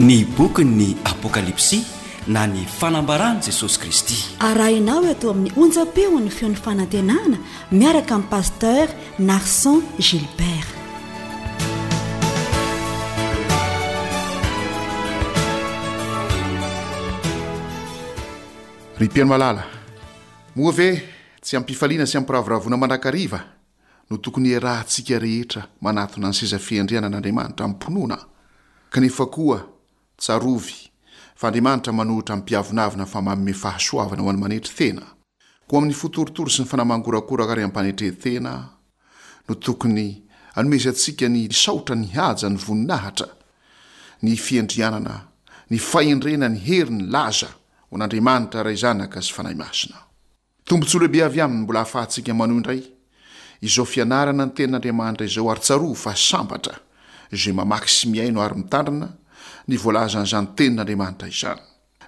Ny bokin'ny Apokalypsy na ny Fanambaran'i Jesosy Kristy. Arahinao eto amin'ny onjam-peon'ny feon'ny fanantenana miaraka amin'i Pasteur Narson Gilbert. Ry mpihaino malala, moa ve tsy am-pifaliana sy am-piravoravoana mandrakariva no tokony hiarahantsika rehetra manatona ny seza fiandrianan'Andriamanitra amim-pinoana? Kanefa koa, tsarovy fa Andriamanitra manohitra ny mpiavonavona fa manome fahasoavana ho an'ny manetry tena. Koa amin'ny fo torotoro sy ny fanahy mangorakoraka ary am-panetren-tena no tokony hanomezantsika ny saotra, ny haja, ny voninahitra, ny fiandrianana, ny fahendrena, ny hery, ny laza ho an'Andriamanitra Ray Zanaka sy Fanahy Masina. Tombontsoa lehibe avy Aminy mbola ahafahantsika manohy indray izao fianarana ny Tenin'Andriamanitra izao ary tsarovy fa sambatra izay mamaky sy mihaino ary mitandrina ny voalazan'izany Tenin'Andriamanitra izany.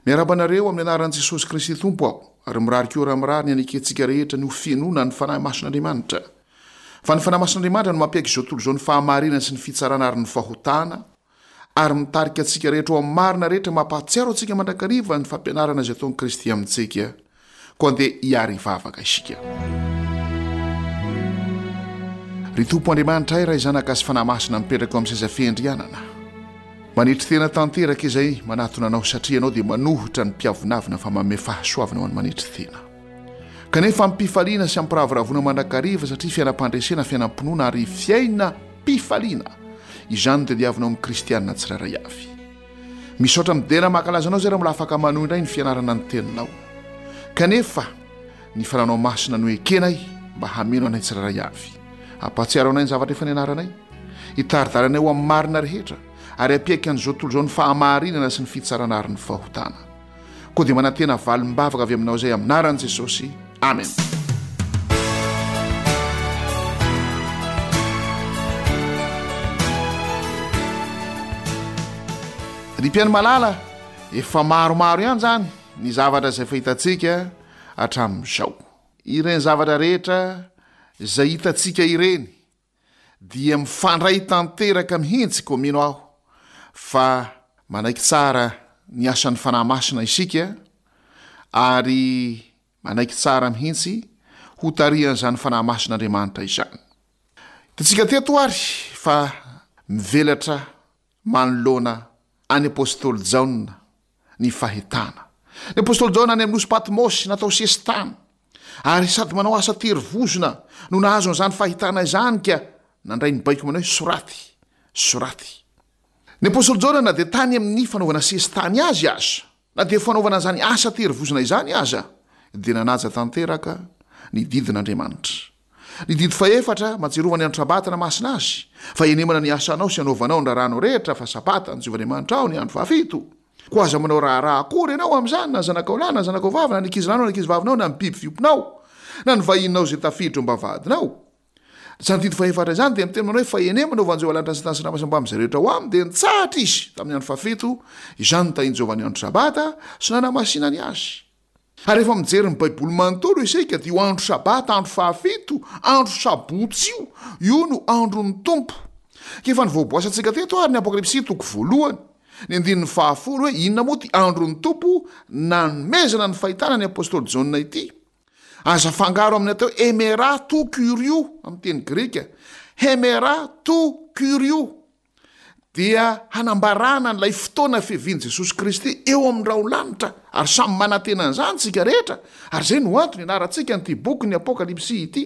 Miarahaba anareo amin'ny anaran'i Jesosy Kristy Tompo aho ary mirary koa raha mirary ny hanekentsika rehetra ny ho fenoana ny Fanahy Masin'Andriamanitra. Fa ny Fanahy Masin'Andriamanitra no mampiaiky izao tontolo izao ny fahamarinana sy ny fitsarana ary ny fahotana ary mitarika antsika rehetra ho amin'ny marina rehetra mampahatsiaro antsika mandrakariva ny fampianarana izay ataon'i Kristy amintsika. Koa andeha hiary hivavaka isika. Ry Tompo Andriamanitray, Ray Zanaka sy Fanahy Masina mipetraka eo amin'ny seza fiandrianana. Manetry tena tanteraka izay manatona Anao satria Ianao dia manohitra ny mpiavonavona fa manome fahasoavana ho an'ny manetry tena. Kanefa amim-pifaliana sy am-piravoravoana mandrakariva satria fiainam-pandresena, fiainam-pinoana ary fiainam-pifaliana izany no tadiavinao amin'ny kristiana tsirairay avy. Misaotra midera mankalaza anao zay raha mbola afaka manohy indray ny fianarana ny teninao. Kanefa ny fananao masina no ekenay mba hameno anay tsirairay avy. Ampahatsiaro anay ny zavatra efa nianaranay. Hitari-dalana anay ho amin'ny marina rehetra ary hampiaiky an'izao tontolo izao ny fahamarinana sy ny fitsarana ary ny fahotana. Koa dia manantena valim-bavaka avy aminao izay amin'ny anaran'i Jesosy. Amen. Ry mpihaino malala, efa maromaro ihany izany ny zavatra izay fahitantsika hatramin'izao. Ireny zavatra rehetra izay hitantsika ireny dia mifandray tanteraka mihitsy koa mino aho fa manaiky tsara ny asan'ny Fanahy Masina isika ary manaiky tsara mihitsy ho tarihan'izany Fanahy Masin'Andriamanitra izany. Hitantsika teto ary fa mivelatra manoloana an'ny apostoly Jaona ny fahitana. Ny apostoly Jaona any amin'ny nosy Patmosy natao sesitany, ary sady manao asa tery vozona no nahazo an'izany fahitana izany ka nandray ny baiko manao hoe soraty, soraty. Ny apostoly Jaona na dia tany amin'ny fanaovana sesitany azy aza, na dia fanaovana an'izany asa tery vozona izany aza, dia nanaja tanteraka ny didin'Andriamanitra. Ny didy fahefatra, Mahatsiarova ny andro Sabata namasina azy, fa henemana ny asanao sy anaovanao ny raharahanao rehetra, fa Sabata ny Jehovah Andriamanitrao ny andro fahafito. Koa aza manao raharaha akory ianao amin'izany, na ny zanakao lahy, na ny zanakao vavy, na ny ankizilahinao, na ny ankizivavinao, na ny biby fiompinao, na ny vahininao izay tafiditra eo am-bavahadinao. Izany didy fahefatra izany dia miteny manao hoe, Fa henemana ho van'i Jehovah lanitra sy tany sy ranomasina mbamin'izay rehetra ao aminy, dia nitsahatra izy tamin'ny andro fahafito, izany notahin'i Jehovah ny andro Sabata sy nanamasinany azy. Ary rehefa mijery ny Baiboly manontolo isika dia io andro Sabata, andro fahafito, andro Sabotsy io, io no andron'ny Tompo. Ka efa nivoaboasantsika teto ary ny Apokalypsy toko voalohany, ny andininy fahafolo hoe inona moa ity andron'ny Tompo nanomezana ny fahitana ny apostoly Jaona ity. Aza afangaro amin'ny atao hoe hemera tou kyrio amin'ny teny grika, hemera tou kyrio. dia hanambarana an'ilay fotoana fiavian'i Jesosy Kristy eo amin'ny rahon-lanitra, ary samy manantena an'izany isika rehetra, ary izay no antony ianarantsika an'ity bokin'ny Apokalypsy ity,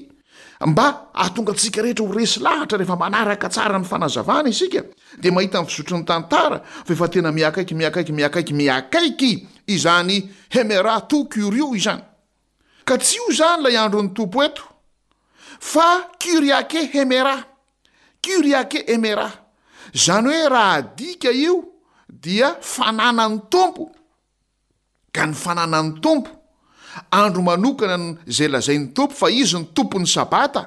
mba hahatonga antsika rehetra ho resy lahatra rehefa manaraka tsara ny fanazavana isika, dia mahita ny fizotry ny tantara fa efa tena mihakaiky, mihakaiky, mihakaiky, mihakaiky izany Hemera tou Kyrio izany. Ka tsy io izany ilay andron'ny Tompo eto, fa Kyriake Hemera. Kyriake Hemera. Izany hoe raha adika io dia fananan'ny Tompo. Ka ny fananan'ny Tompo, andro manokana izay lazain'ny Tompo fa Izy no Tompon'ny Sabata,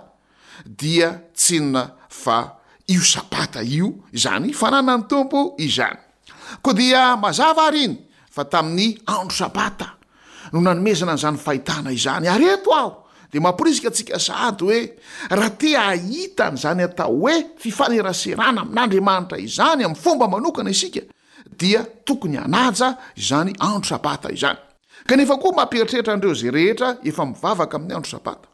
dia tsy inona fa io Sabata io izany fananan'ny Tompo izany. Koa dia mazava ary iny fa tamin'ny andro Sabata no nanomezana an'izany fahitana izany. Ary eto aho dia mamporisika antsika sahady hoe raha te hahita an'izany atao hoe fifaneraserana amin'Andriamanitra izany amin'ny fomba manokana isika. dia tokony hanaja izany andro Sabata izany. Kanefa koa mampieritreritra an'ireo izay rehetra efa mivavaka amin'ny andro Sabata,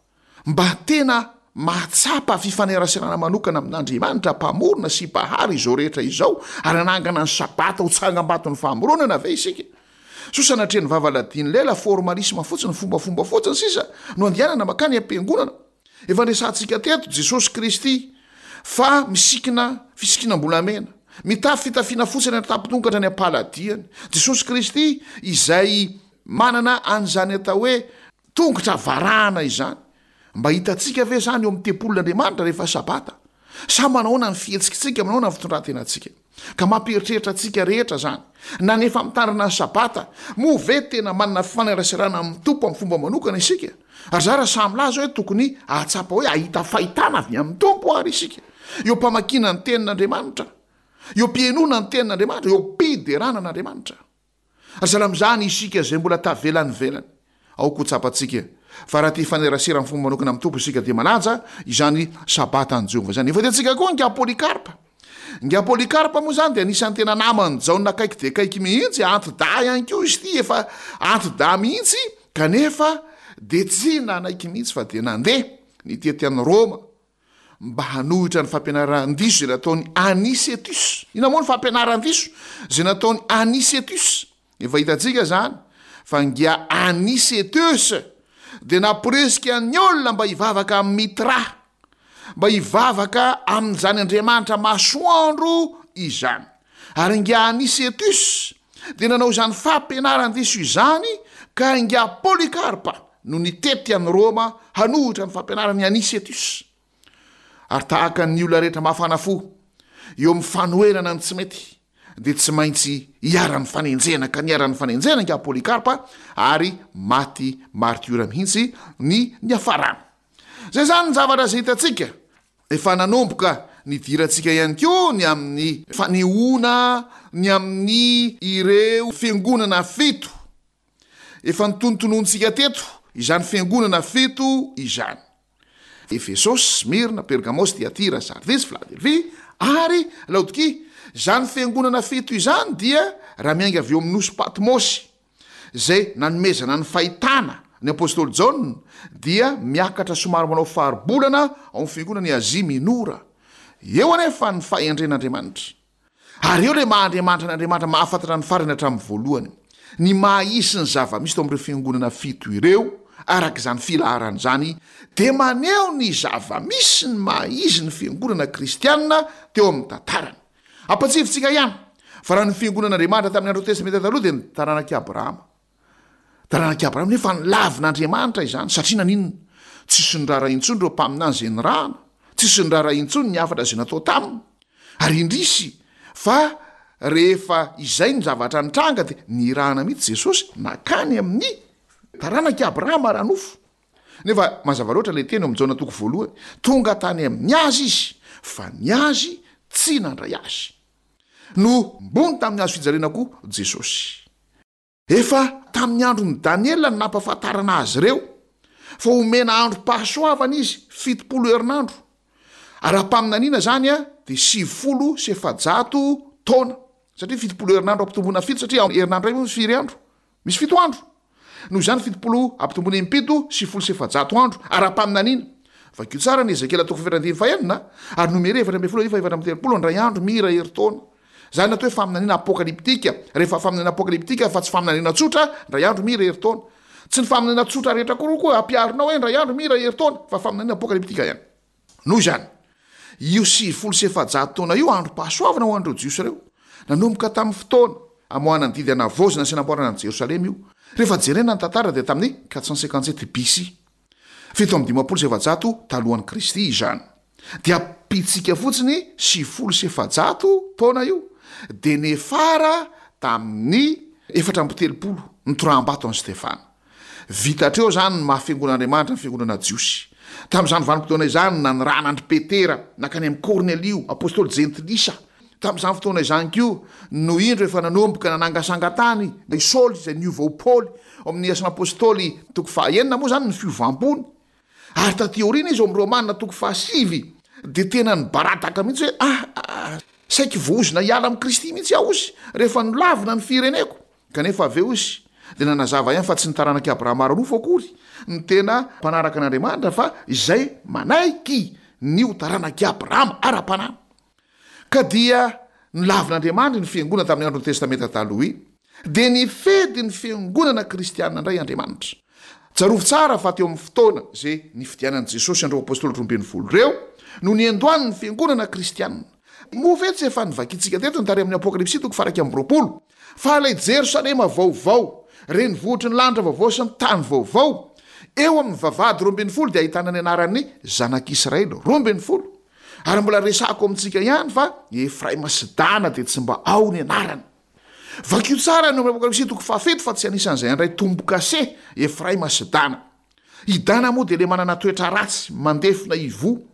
mba tena mahatsapa fifaneraserana manokana amin'Andriamanitra Mpamorona sy Mpahary izao rehetra izao ary hanangana ny Sabata ho tsangambaton'ny famoronana ve isika? Soa sanatria ny vava ladian'ny lela, formalisme fotsiny, fombafomba fotsiny sisa no andehanana mankany am-piangonana. Efa niresahantsika teto Jesosy Kristy fa misikina fisikinam-bolamena, mitafy fitafiana fotsy any an-tampon-tongatra any am-paladiany. Jesosy Kristy izay manana an'izany atao hoe tongotra varahana izany. Mba hitantsika ve izany eo amin'ny tempolin'Andriamanitra rehefa Sabata? Sa manahoana ny fihetsikitsika, manahoana ny fitondran-tenantsika? Ka mampieritreritra antsika rehetra izany. Na ny efa mitandrina ny Sabata, moa ve tena manana fifaneraserana amin'ny Tompo amin'ny fomba manokana isika? Ary zara sahy milaza hoe tokony hahatsapa hoe hahita fahitana avy amin'ny Tompo àry isika, eo am-pamakiana ny Tenin'Andriamanitra, eo am-pihainoana ny Tenin'Andriamanitra, eo am-piderana an'Andriamanitra. Ary sahala amin'izany isika izay mbola tavela any ivelany. Aoka ho tsapantsika fa raha te hifanerasera amin'ny fomba manokana amin'ny Tompo isika dia manaja izany Sabatan'i Jehovah izany. Efa hitantsika koa ingahy Polycarpe. Ingahy Polycarpe moa izany dia anisan'ny tena naman'i Jaona akaiky dia akaiky mihitsy, anti-dahy ihany koa izy ity, efa anti-dahy mihitsy, kanefa dia tsy nanaiky mihitsy fa dia nandeha nitety an'i Roma mba hanohitra ny fampianaran-diso izay nataon'i Anicetus. Inona moa ny fampianaran-diso izay nataon'i Anicetus? Efa hitantsika izany fa ngia Anicetus dia namporisika ny olona mba hivavaka amin'i Mitra, mba hivavaka amin'izany andriamanitra masoandro izany. Ary ngia Anicetus dia nanao izany fampianaran-diso izany ka ingahy Polycarpe no nitety an'i Roma hanohitra ny fampianaran'i Anicetus. Ary tahaka ny olona rehetra mafana fo eo amin'ny fanoherana ny tsy mety dia tsy maintsy iharan'ny fanenjehana ka niharan'ny fanenjehana ingahy Polycarpe ary maty martiora mihitsy ny niafarany. Izay izany ny zavatra izay hitantsika. Efa nanomboka nidirantsika ihany koa ny amin'ny fanehoana ny amin'ny ireo fiangonana fito. Efa notonotononintsika teto izany fiangonana fito izany. Efesosy, Smyrna, Pergamosy, Tyatira, Sardisy, Filadelfia, ary Laodikia. Izany fiangonana fito izany dia raha miainga avy eo amin'ny nosy Patmosy, izay nanomezana ny fahitana ny apostoly Jaona dia miakatra somary manao faribolana ao amin'ny fiangonana i Azia Minora. Eo anefa ny fahendren'Andriamanitra. Ary eo ilay maha Andriamanitra an' Andriamanitra mahafantatra ny farany hatramin'ny voalohany. Ny maha izy sy ny zava-misy tao amin'ireo fiangonana fito ireo, araka izany filaharana izany, dia maneho ny zava-misy sy ny maha izy ny fiangonana kristiana teo amin'ny tantarany. Ampatsiahintsika ihany fa raha ny fiangonan'Andriamanitra tamin'ny andro Testamenta Taloha dia ny taranak'i Abrahama. Taranak'i Abrahama nefa nolavin'Andriamanitra izany satria naninona? Tsisy niraharaha intsony ireo mpaminany izay nirahana, tsisy niraharaha intsony ny hafatra izay natao taminy. Ary indrisy fa rehefa izay ny zavatra nitranga dia nirahana mihitsy Jesosy nankany amin'ny taranak'i Abrahama ara-nofo. Nefa mazava loatra ilay teny ao amin'ny Jaona toko voalohany, tonga tany amin'ny azy izy, fa ny azy tsy nandray azy. Nohombony tamin'ny hazo fijaliana koa Jesosy. Efa tamin'ny andron'i Daniela no nampahafantarana azy ireo fa homena androm-pahasoavana izy, 70 herinandro. Ara-paminaniana izany dia 490 taona, satria 70 herinandro ampitomboina fito, satria herinandro iray moa firy andro? Misy fito andro. Noho izany, 70 ampitomboina impito, 490 andro, ara-paminaniana. Vakio tsara ny Ezekiela toko fahefatra andininy fahenina, ary Nomery 14 andininy faha 34, indray andro mira herintaona. Izany no atao hoe faminaniana apokalyptika. Rehefa faminaniana apokalyptika fa tsy faminaniana tsotra, indray andro mira herintaona. Tsy ny faminaniana tsotra rehetra koa koa ampiharinao hoe indray andro mira herintaona, fa faminaniana apokalyptika ihany. Noho izany, io 490 taona io androm-pahasoavana ho an'ireo Jiosy ireo. Nanomboka tamin'ny fotoana amoahana ny didy hanavaozana sy hanamboarana an'i Jerosalema io. Rehefa jerena ny tantara dia tamin'ny 457 BC. 457 talohan'i Kristy izany. Dia ampitsika fotsiny 490 taona io, dia nefara tamin'ny 34 nitoraham-bato an'i Stefana. Vita hatreo izany ny maha fiangonan'Andriamanitra ny fiangonana jiosy. Tamin'izany vanim-potoana izany no nanirahana an-dry Petera nankany amin'i Kornelio, apostoly jentilisa. Tamin'izany fotoana izany koa no indro efa nanomboka nanangasanga tany i Saoly izay niova ho Paoly. Ao amin'ny Asan'ny Apostoly toko fahaenina moa izany ny fiovam-pony. Ary taty aoriana izy ao amin'ny Romana toko fahasivy dia tena nibaradaka mihitsy hoe, Ah! Ah! Saiky voaozona hiala amin'i Kristy mihitsy aho hozy rehefa nolavina ny fireneko. Kanefa avy eo izy dia nanazava ihany fa tsy ny taranak'i Abrahama ara-nofo akory no tena mpanaraka an'Andriamanitra fa izay manaiky ny ho taranak'i Abrahama ara-panahy. Ka dia nolavin'Andriamanitra iny fiangonana tamin'ny andron'ny Testamenta Taloha iny. Dia nifedy ny fiangonana kristiana indray Andriamanitra. Tsarovy tsara fa teo amin'ny fotoana izay nifidianan'i Jesosy an'ireo apostoly 12 ireo no niandohan'ny fiangonana kristiana. Moa ve tsy efa novakintsika teto ny tary amin'ny Apokalypsy toko faha-21 fa ilay Jerosalema vaovao, renivohitry ny lanitra vaovao sy ny tany vaovao, eo amin'ny vavahady 12 dia ahitana ny anaran'ny zanak'Israely 12. Ary mbola resahako amintsika ihany fa i Efraima sy Dana dia tsy mba ao ny anarany. Vakio tsara ny ao amin'ny Apokalypsy toko fahafito fa tsy anisan'izay handray tombo-kase Efraima sy Dana. I Dana moa dia le manana toetra ratsy, mandefona ivoho,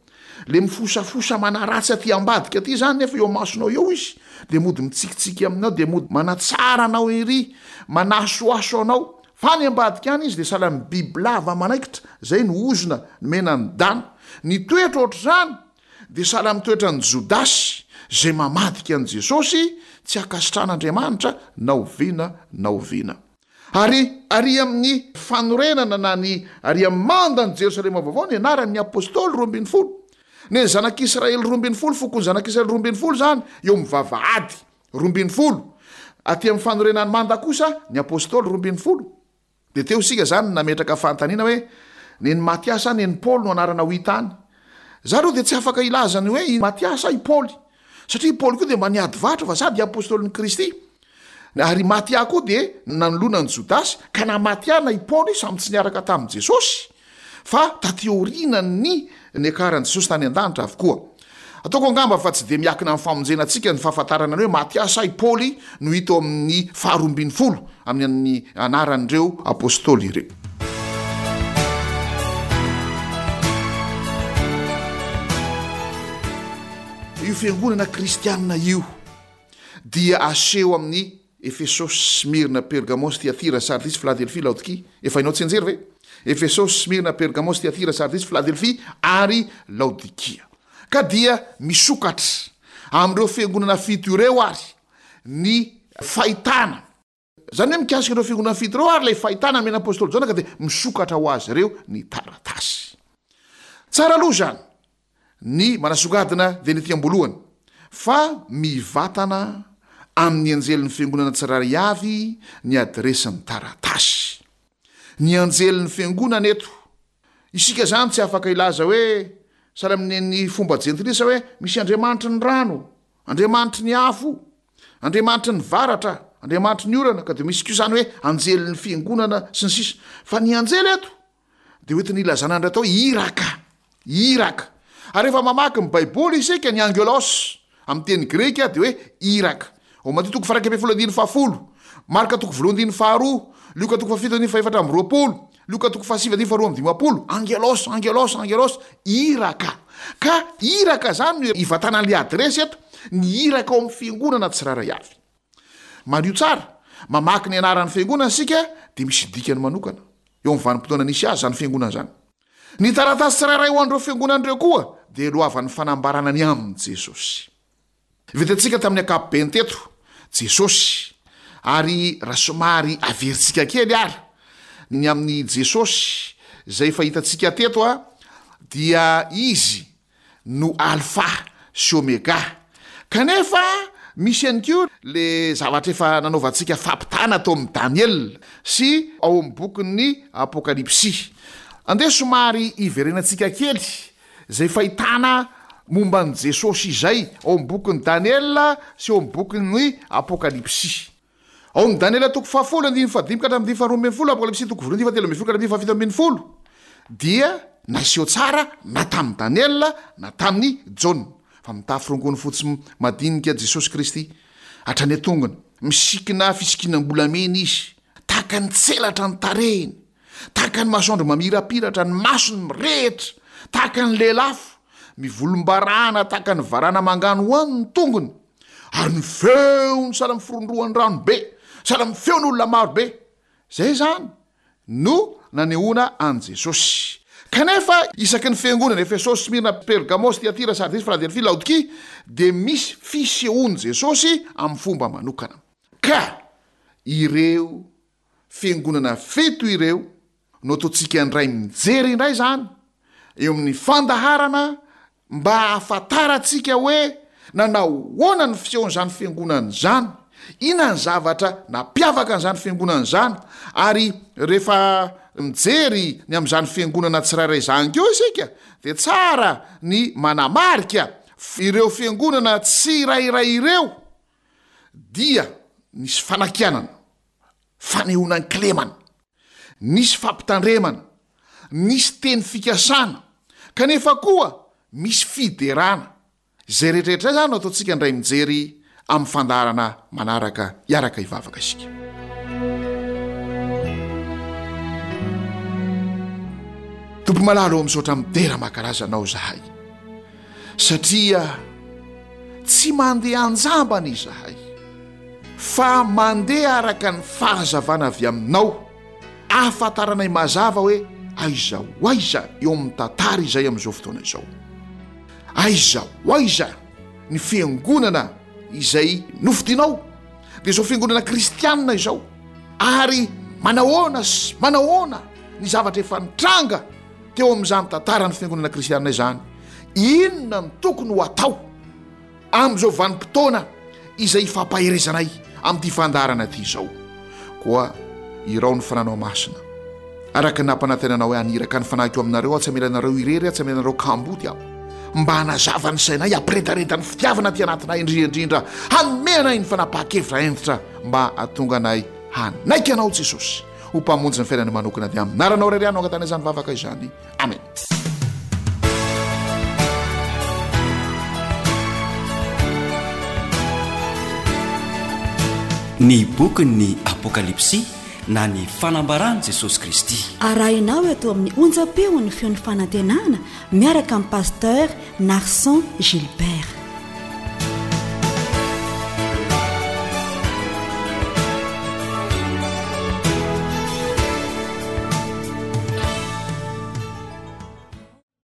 le mifosafosa manaratsy aty ambadika aty izany nefa eo amasonao eo izy dia mody mitsikitsiky aminao dia mody manatsara anao ery, manasoaso anao, fa any ambadika any izy dia sahala amin'ny bibilava manaikitra, izay no ozona nomena an'i Dana. Ny toetra ohatr'izany dia sahala amin'ny toetran'i Jodasy izay mamadika an'i Jesosy tsy ankasitrahan'Andriamanitra na oviana na oviana. Ary ary amin'ny fanorenana na ny ary amin'ny mandan'i Jerosalema vaovao ny anaran'ny Apostoly 12. Ny ny zanak'Israely 12, fokon'ny zanak'Israely 12 izany eo amin'ny vavahady 12. Aty amin'ny fanorenan'ny manda kosa ny Apostoly 12. Dia teo isika izany no nametraka fanontaniana hoe, Nen'i Matia sa nen'i Paoly no anarana ho hita any? Za aloha dia tsy afaka hilaza ny hoe i Matia sa i Paoly. Satria i Paoly koa dia mba niady varotra fa za dia apostolin'i Kristy. Ary i Matia koa dia nanoloana an'i Jodasy, ka na Matia na i Paoly samy tsy niaraka tamin'i Jesosy, fa taty aorianan'ny niakaran'i Jesosy tany an-danitra avokoa. Ataoko angamba fa tsy dia miakina amin'ny famonjena antsika ny fahafantarana ny hoe Matia sa i Paoly no hita ao amin'ny faharoa ambinifolo amin'ny anaran'ireo apostoly ireo. Io fiangonana kristianina io dia aseho amin'ny Efesosy, Smyrna, Pergamosy, Tyatira, Sardisy, Filadelfia, Laodikia. Efa hainao tsianjery ve? Efesosy, Smyrna, Pergamosy, Tyatira, Sardisy, Filadelfia ary Laodikia. Ka dia misokatra amin'ireo fiangonana fito ireo ary ny fahitana. Izany hoe mikasika ireo fiangonana fito ireo ary ilay fahitana nomen'ny apostoly Jaona ka dia misokatra ho azy ireo ny taratasy. Tsara aloha izany ny manasongadina dia ny ety am-boalohany fa mivatana amin'ny anjelin'ny fiangonana tsirairay avy ny adiresin'ny taratasy. Ny anjelin'ny fiangonana eto. Isika izany tsy afaka hilaza hoe, sahala amin'ny fomba jentilisa hoe, misy andriamanitry ny rano, andriamanitry ny afo, andriamanitry ny varatra, andriamanitry ny orana, ka dia misy koa izany hoe anjelin'ny fiangonana sy ny sisa. Fa ny anjely eto dia hoentiny hilazana an'ilay atao hoe iraka, iraka. Ary rehefa mamaky ny Baiboly isika, ny angelos amin'ny teny grika dia hoe iraka. Ao Matio toko faha-11 andininy fahafolo, Marka toko voalohany andininy faharoa, Lioka toko fahafito andininy faha-24, Lioka toko fahasivy andininy faha-52, angelos, angelos, angelos, iraka. Ka iraka izany no ivatanan'ilay adiresy eto, ny iraka ao amin'ny fiangonana tsirairay avy. Mariho tsara, mamaky ny anaran'ny fiangonana isika dia misy dikany manokana eo amin'ny vanim-potoana nisy azy izany fiangonana izany. Ny taratasy tsirairay ho an'ireo fiangonana ireo koa dia lohavan'ny fanambarana ny amin'i Jesosy. Vitantsika tamin'ny ankapobeny teto Jesosy, ary raha somary averintsika kely ary ny amin'i Jesosy izay efa hitantsika teto dia Izy no Alfa sy Omega. Kanefa misy ihany koa le zavatra efa nanaovantsika fampitahana tao amin'i Daniela sy ao amin'ny bokin'ny Apokalypsy. Andeha somary hiverenantsika kely izay fahitana momba an'i Jesosy izay ao amin'ny bokin'i Daniela sy ao amin'ny bokin'ny Apokalypsy. Ao amin'ny Daniela toko fahafolo andininy fahadimy ka hatramin'ny andininy faharoa ambin'ny folo, Apokalypsy toko voalohany andininy fahatelo ambin'ny folo ka hatramin'ny andininy fahafito ambin'ny folo, dia naseho tsara na tamin'i Daniela na tamin'i Jaona fa mitafy rongony fotsy madinika Jesosy Kristy hatrany an-tongony, misikina fisikinam-bolamena Izy, tahaka ny tselatra ny tarehiny, tahaka ny masoandro mamirapiratra, ny masony mirehitra tahaka ny lelafo, mivolombarana tahaka ny varana manganohano ny tongony. Ary ny feony sahala amin'ny firondrohan'ny rano be, sahala amin'ny feon'olona maro be. Izay izany no nanehoana an'i Jesosy. Kanefa isaky ny fiangonana, Efesosy, Smyrna, Pergamosy, Tyatira, Sardisy, Filadelfia, Laodikia, dia misy fisehoan'i Jesosy amin'ny fomba manokana. Ka ireo fiangonana fito ireo no ataontsika indray mijery indray izany eo amin'ny fandaharana mba hahafantarantsika hoe nanao ahoana ny fisehon'izany fiangonana izany, inona ny zavatra nampiavaka an'izany fiangonana izany, ary rehefa mijery ny amin'izany fiangonana tsirairay izany koa isika dia tsara ny manamarika ireo fiangonana tsirairay ireo dia nisy fanakianana, fanehoana an-kilemana, nisy fampitandremana, nisy teny fikasana, kanefa koa misy fiderana. Izay rehetrarehetra izay izany no ataontsika indray mijery amin'ny fandaharana manaraka hiaraka hivavaka isika. Tompo malala ô misaotra midera mankalaza anao izahay satria tsy mandeha anjambany izahay fa mandeha araka ny fahazavana avy aminao ahafantaranay mazava hoe aiza ho aiza eo amin'ny tantara izay amin'izao fotoana izao. Aiza ho aiza ny fiangonana izay nofidinao, dia izao fiangonana kristianina izao, ary manahoana sy manahoana ny zavatra efa nitranga teo amin'izany tantaran'ny fiangonana kristianina izany, inona no tokony ho atao amin'izao vanim-potoana izay ifampaherezanay amin'ity fandaharana ity izao. Koa irao ny Fananao Masina, araka ny nampanantenanao hoe haniraka ny Fanahiko aminareo Aho, tsy hamela anareo irery Aho, tsy hamela anareo kamboty Aho, mba hanazava ny sainay, hampiredareda ny fitiavana aty anatinay, indrindra indrindra hanome anay ny fanapahan-kevitra hentitra mba hahatonga anay hanaiky Anao Jesosy ho Mpamonjy ny fiainanay manokana. Dia amin'ny anaranao irery ihany no angatahana izany vavaka izany. Amen. Ny bokin'ny Apokalypsy na ny fanambaran'i Jesosy Kristy. Arahinao eto amin'ny onjam-peon'ny feon'ny fanantenana miaraka amin'i Pasteur Narson Gilbert.